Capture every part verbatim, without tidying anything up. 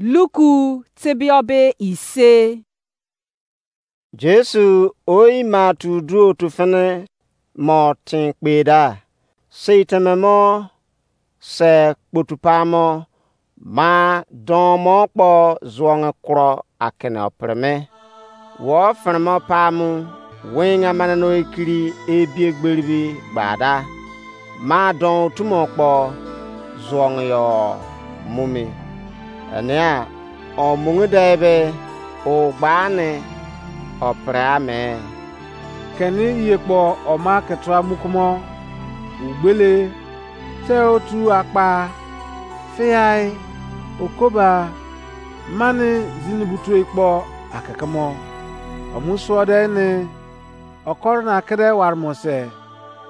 Luku tebiobe ise. Jesu oyi ma tu duo tu fini mo tin kpe da. Sei teme mo se kpotu pa mo ma don mo kpo zuonge kuro akene opirime. Wo firimo pamu wenga manano ekiri ebie gberibi gbada. Ma don otumo kpo zuonge yo mumi. Enia omungu de be o gbani opre ame. Keni iye kpo oma ke tua mukumo, ugbele, te otu akpa, fiai, okoba, mani zini butoi kpo akekemo. Omu suo de ne, okoro na kede waremo se,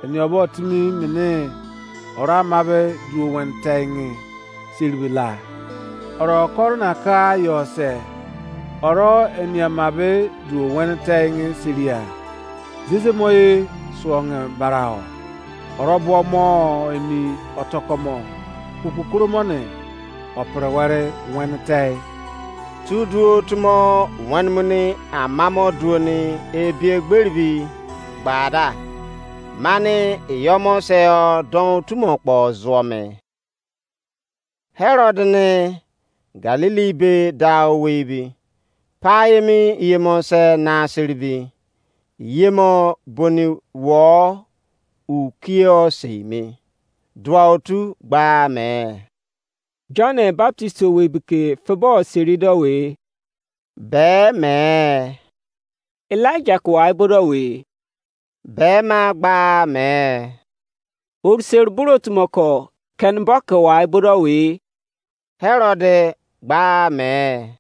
eni obo timi mene oro ama be duo wen teingi seribe la. Oro okoro na ka yo se, oro eni ama be duo wen teingi seria. Zeze mo ye suonge barao. Oro buo mo emi otokomo kukukuru mo ne opere were wen tei. Tu duo tumo wen muni amamo duoni ebie gberibi gbada. Mani iyomo se o don otumo kpo zuo me. Herod ne Galili be da owei bi, pa emi yemo se na seribi, yemo boni wo ukie o sei mi. Dua otu gba me. John Baptist owei bi ke febo seri do we. Be me. Elijah ke wai bo do we. Be ma gba me. Oriseri buru otu mo ko ken bo ke wai bo do we. Herod gba me.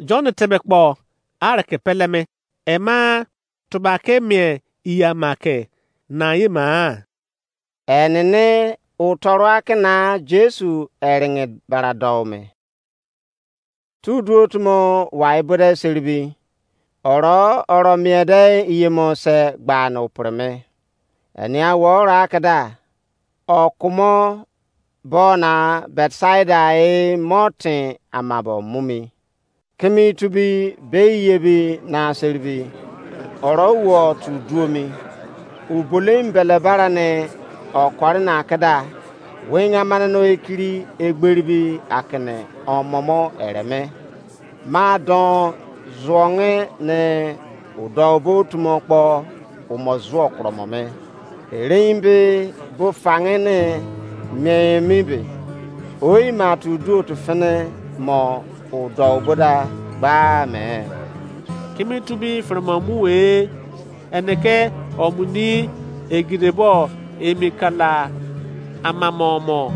John tebe kpo are ke pele me. Ema tuba ke mie iya ma ke na ye ma. Enene utoro akina Jesu eringe bara do me. Tu duo tumo wai bo de seribi. Oro oro mie de iyemo se gba no preme. Enia wo ra keda. Okumo bona Betsaida e motin amabo mumi. Kimi tubi bei yebi na seribi. Oro wo tu duomi. Ubolim bele bara ne okori na keda. Wenga mane no ekiri egberibi akene omomo ereme. Ma don zuonge ne udo bo tumo kpo umo zuo kromo me. Erein be bo fange ne mien mi be. Oi ma tu duo tu fene mo udo bo da gba me. Kimi tubi firma mu we. Ene ke omuni egidebo emi kala amamo mo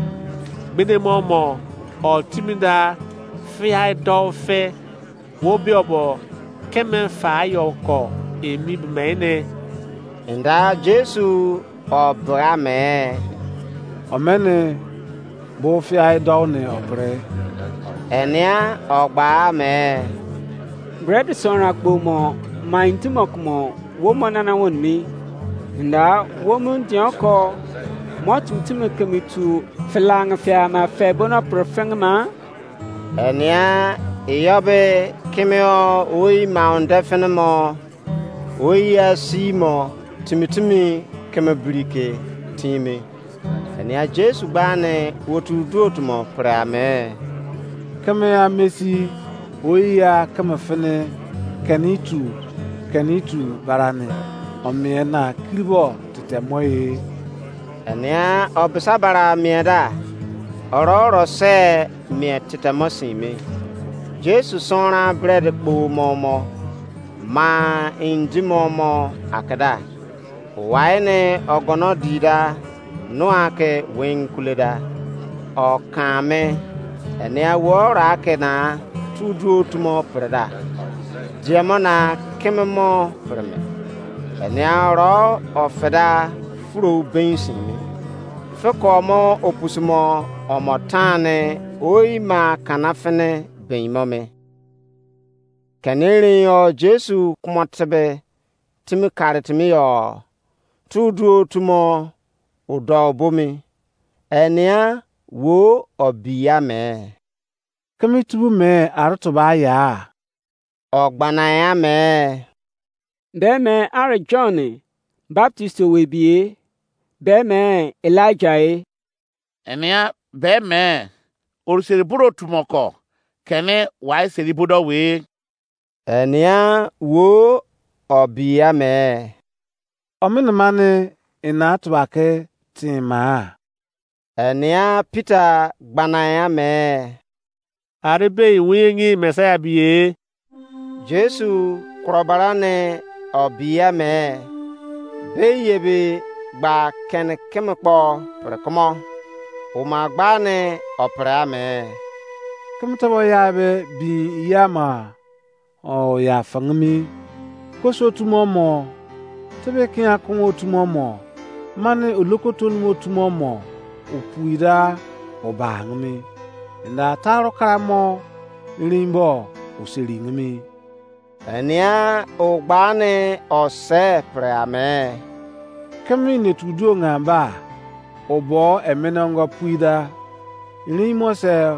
gbede mo mo o timi da fiai do fe wo be obo keme fa yo ko emi be me ne. Nda Jesu o bra me. Omene bo fiai do ne o bre. Enia o gba me. Bread sonra kpo mo ma intimo kumo wo mo nana won mi. Nda wo mu ndion ko mo tum timi kemi tu filang fia ma fe bono profeng ma. Enia iyobe kimio oi ma onde finimo. Oyi a si mo timi timi keme biri ke timi. Enia Jesu gba ne otu duo tumo pre ame. Keme a mesi oyi a keme fene keni tu keni tu barani omie na kiribo tete mo ye. Enia obisa bara mie da. Oro oro se mie tete mo sin me. Jesu sonra bread kpo mo mo. Ma indi mo mo akeda. Wai ne ogono di da. Nua ke wen kule da. O kame. Enia wo ra ke na tu duo tumo pre da. Diemo na keme mo pre me. Enia oro o feda furo ben sin me. Feko mo opusimo omo tane oi ma kana fene ben mo me. Kene erein yo Jesu kumo tebe timi kare timi yo tu duo tumo udo bomi. Enia wo obiya me. Keme tubo me are tuba ya? Ọ gbana ya me? Be me are John Baptist owei bie? Be me Elijah e? Enea be me oriseri boro otu mo ko kene wai seri bodo we? Enea wo obi ya me? Omene mane ena tuba ke tin ma? Enea Peter gbana ya me? Are be win Messiah bie? Jesu kuro bara ne o bi ya me, be ye be gba kene keme kpo pre kumo, o ma gba ne o pre ame. Keme tabo ya be bin ya ma o ya fangimi. Koso tumo mo, tebe kian kun otumo mo, mane oloko tolumo otumo mo, o pui da o ba angimi. Enda taro karamo rimbo o seri ngimi. Enia o gba ne o se pre ame. Keme ine tu duo ngan ba, o bo emene ongo pui da. Rin mo se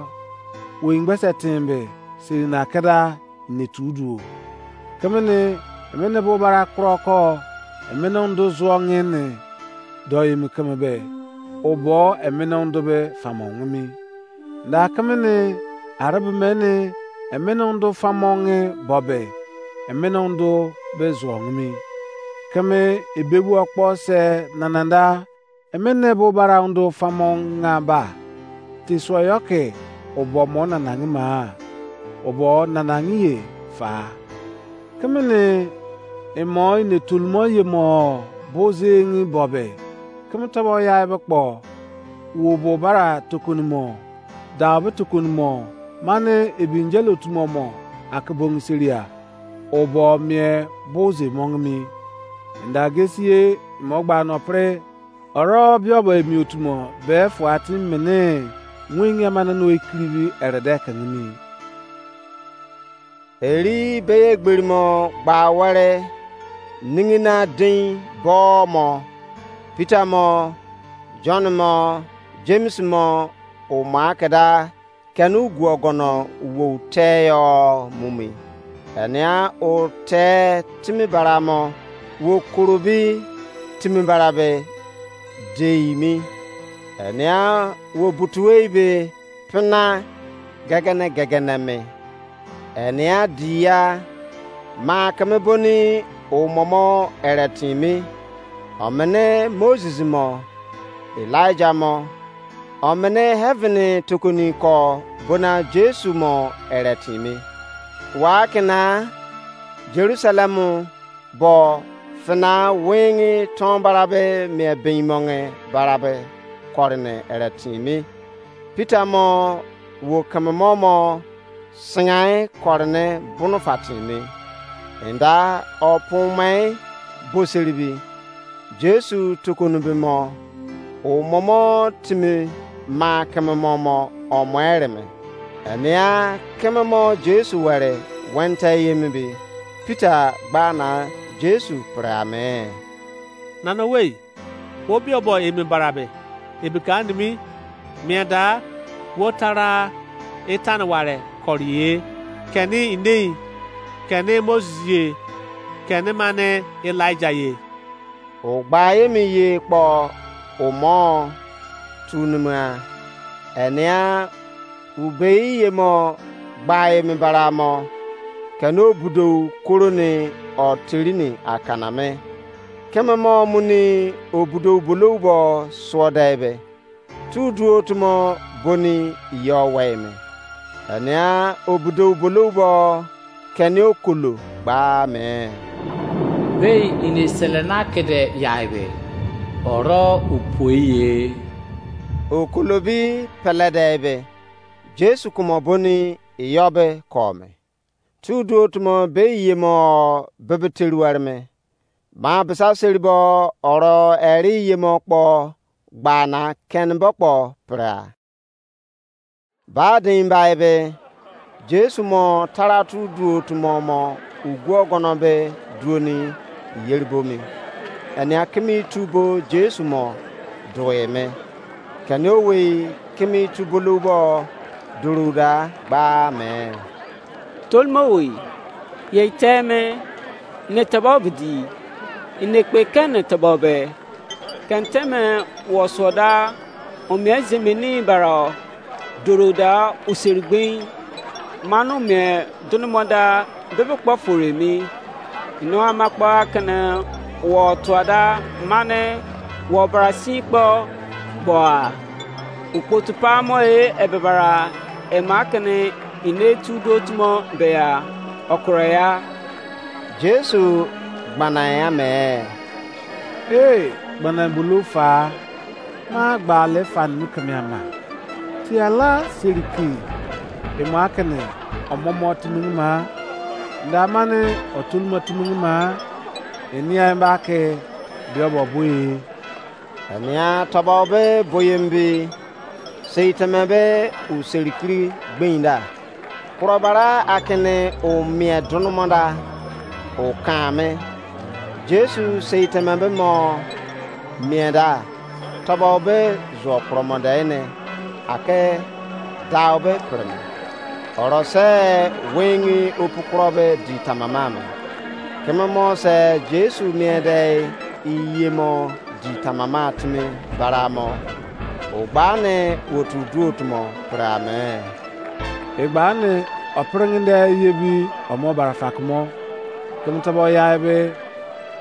wo ingbe se timbe, seri na keda ine tu duo. Keme ne emene bo bara kuro ko emene undo zuo ngin ne do emi keme be, o bo emene undo be famo ngimi. Da keme ne arebe mene emene undo famo nge bo be, emene undo be zuo ngimi. Keme ebebu okpo se nananda emene bo bara undo famo nga ba, te suo yo ke o bo mo nanangi ma, o bo nanangi ye fa. Keme ne emo ine tolumo yemo bo zengi bo be, keme tobo ya ebe kpo wo bo bara tokonimo, dau be tokonimo, mane ebi injele otumo mo ake bongi seria, o bo mie bo ze mongimi. Enda gesi ye mo gba no pre, oro biobo emi otumo be fua timi mene wingi amane no ekirivi erede kengimi. Eri beye gberimo gba were, ningina dein bo mo, Peter mo, John mo, James mo, o ma keda kene ugu ogono wo te yo mumi. Enia o te timi bara mo, wo kurubi timi bara be deimi. Enia wo butuwei be pina gegene gegene me. Enia dia ma keme boni o momo ere timi. Omene Moses mo, Elijah mo, omene heaven tokoni ko bona Jesu mo ere timi. Wa kena Jerusalem bo fina wingi ton barabe mie bin monge barabe korine ere timi. Peter mo wo keme mo mo singai korine bunu fatimi. Enda opun mai boseribi. Jesu tukunu be mo, o momo timi ma keme mo mo o mo ereme. Enia keme mo Jesu were wente yemi be, Peter gba na Jesu pre ame. Nana wei, wo biobo emi barabe, ebi ka nimi, mien da wo tara etane ware kori ye, keni inei, keni Moses ye, keni mane Elijah ye. O gba emi ye kpo o mo tu nima. Enia ubei ye mo gba emi bara mo, keni obudou koroni o tirini akana me. Keme mo muni obudou bolou bo suo de be, tu duo tumo boni iyo wei me. Enia obudou bolou bo keni okolo gba me. Bei ine selena kede yai be, oro upoi ye. Okolo bi pele de be, Jesu kumo boni iyo be ko me. Tu duo tumo be iye mo bebe teri were me. Ma bisa seri bo oro eri iye mo kpo gba na keni bo kpo prea. Ba dein ba ebe, Jesu mo taratu duo tumo mo ugu ogono be duoni yeri bo mi. Enia kimi tu bo Jesu mo due me. Keni owei kimi tu bolou bo duru da gba me. Tolmo wei, ye teme, ne tabo bidi, inekpe kene tabo be, kenteme wo soda, omie zemeni bara, duru da useri gbin, manu mie dunumada bebe kpo fore mi. Ino ama kpo akene wo tuada mane wo bara sin kpo gboa. Ukpotu pamo e ebebara ema kene ine tu do tumo beya okro ya. Jesu gbana ya me. Ee, gbana bulu fa. Ma gba le fa nu keme ama. Ti ala seriki. Emo akene omomo timini ma. Nda mane otulma timini ma. Enia ba ke biobo bui. Enia tobo be boyembi. Sei teme be u serikiri gbenda. Kuro bara akene o mie dunumada o kame. Jesu sei teme be mo mie da, tobo be zuo kuro mo de ne, ake dau be preme. Oro se wengi opu kuro be di tamama me. Keme mo se Jesu mie de iye mo di tamama timi bara mo. O gba ne otu duo tumo pre ame. Egba ne opringide yebi omo barafa kumo. Keme tobo ya ebe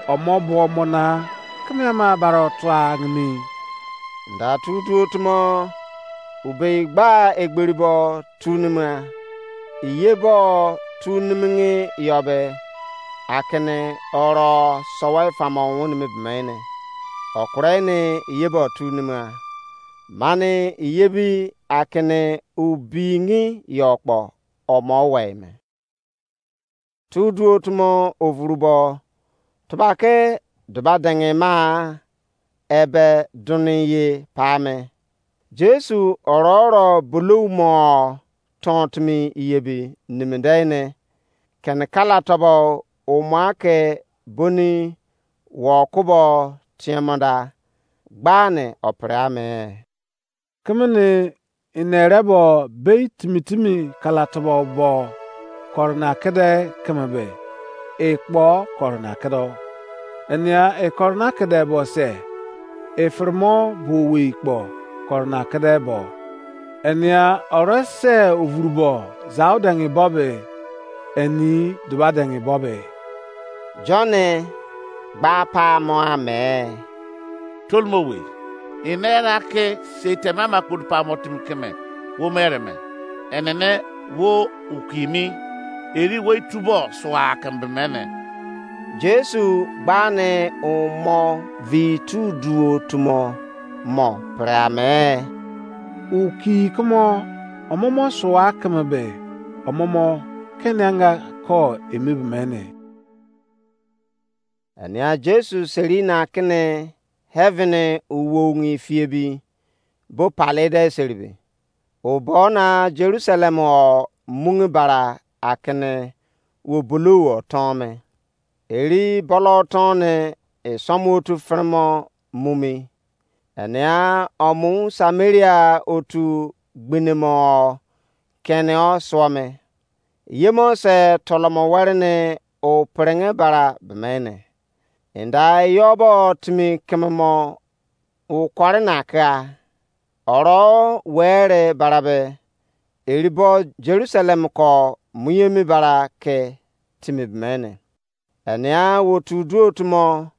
omo buo mo na keme ama baro tua ngini. Nda tu duo tumo ubei gba egberi bo tu nima. Iye bo tu nimingi yobe akene oro sowe famo wuni mi bimene. Okure ni iye bo tu nima. Mani iye bi akene ubingi yo kpo omo wei me. Tu duo tumo ovurubo tubake duba dengi ma ebe duni ye pa me. Jesu oro oro bulou mo ton timi iye bi niminde ne kene kala tobo umo ake boni wo kubo tiemo da gbane opre ame. Kemene inere bo bei timi timi kala tobo bo korona kede keme be, e kpo korona kedo. Enia e korona kede bo se, e firmo bo wei kpo korona kede bo. Enia ore se ovuru bo zau dengi bo be, eni duba dengi bo be. John gba pa mo ame. Tolmo we, inera ke sei teme ama kpodu pa mo timi keme wo mere me. Enene wo ukimi eri wo itubo sua kembe mene. Jesu gbane umo vi tu duo tumo mo pre ame. Uki kumo omomo sua keme be omomo kene anga ko emibe mene. Enia Jesu seri na kene heaven uwongi fiebi bo palede seribe. O bo na Jerusalem o mungi bara akene wo bulou o ton me. Eri bolo ton ne esomu otu fremo mumi. Enia omu Samaria otu gbinimo kene o suo me. Yemo se tolomo were ne o prenge bara bemene. Inda yobo timi kememo ukore na ka. Oro were barabe eribo Jerusalem ko muyemi bara ke timi bemene. Enia wo tu duo tumo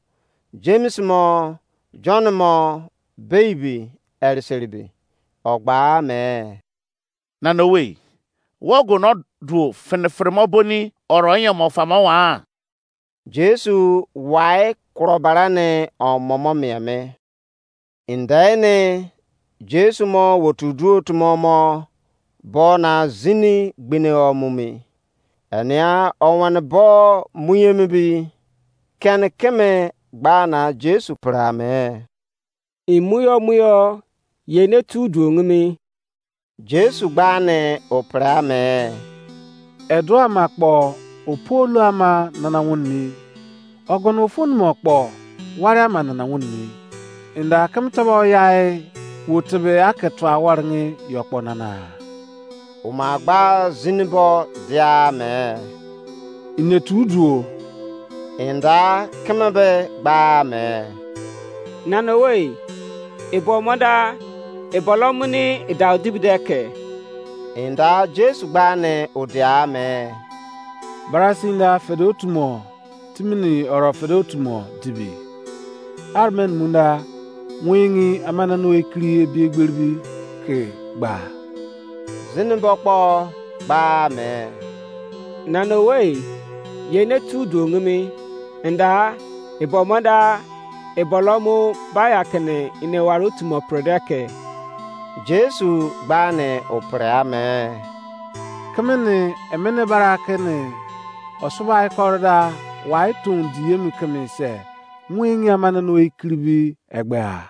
James mo John mo baby eriseribe ogba me. Nana owei, wo go no duo fini firimo boni oro nyemo famo wa? Jesu wai kuro bara ne omomo mie me. Indai ne Jesu mo wotu duo tumo mo bo na zini gbine o mumi. Enia owane bo muyemi bi keni keme gba na Jesu pre ame. Imuyo muyo ye ne tu duo ngimi. Jesu gba ne o pre ame. Edu ama kpo opu olu ama nana wuni. Ogono ofu numo kpo wari ama nana wuni. Inda keme tobo yai wo tebe ake tua waringi yo kpo nana. Oma gba zinibo dia me. Ine tu duo. Inda keme be gba me. Nana owei, ebo mo da, ebo lo muni idau dibi de ke. Inda Jesu gba ne odia me. Barasin da fede otumo, timini oro fede otumo dibi. Armen munda, wingi amanano ekiri ebi egberibi ke gba. Zinibo kpo gba me. Nana owei, ye ne tu duo ngimi, nda, ebo mo da, ebo lo mu baya kene ine ware otumo pre de ke. Jesu gba ne opre ame. Keme ne emene bara kene osubai kore da wai ton di emi keme se, wingi amanano ekiribi egbea.